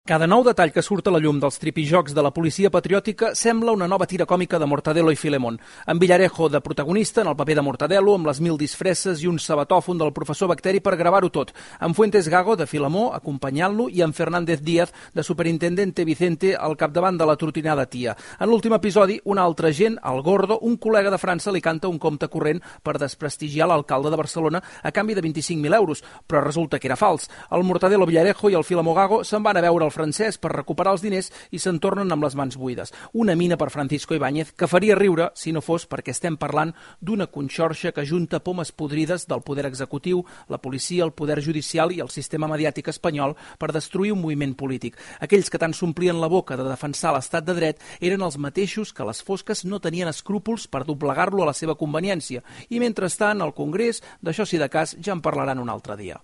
Cada nou detall que surt a la llum dels tripijocs de la policia patriòtica sembla una nova tira còmica de Mortadelo i Filemón. Amb Villarejo de protagonista en el paper de Mortadelo, amb les 1000 disfresses i un sabatòfon del professor Bacteri per gravar-ho tot, amb Fuentes Gago de Filemó acompanyant-lo i amb Fernández Díaz de superintendente Vicente al capdavant de la trotinada tia. En l'últim episodi, un altre agent, el Gordo, un col·lega de França, li canta un compte corrent per desprestigiar l'alcalde de Barcelona a canvi de 25.000 euros, però resulta que era fals. El Mortadelo Villarejo i el Filemó Gago se'n van a veure el francès per recuperar els diners i se'n tornen amb les mans buides. Una mina per Francisco Ibáñez que faria riure si no fos perquè estem parlant d'una conxorxa que junta pomes podrides del poder executiu, la policia, el poder judicial i el sistema mediàtic espanyol per destruir un moviment polític. Aquells que tant s'omplien la boca de defensar l'estat de dret eren els mateixos que a les fosques no tenien escrúpols per doblegar-lo a la seva conveniència. I mentrestant, al Congrés, d'això si de cas ja en parlaran un altre dia.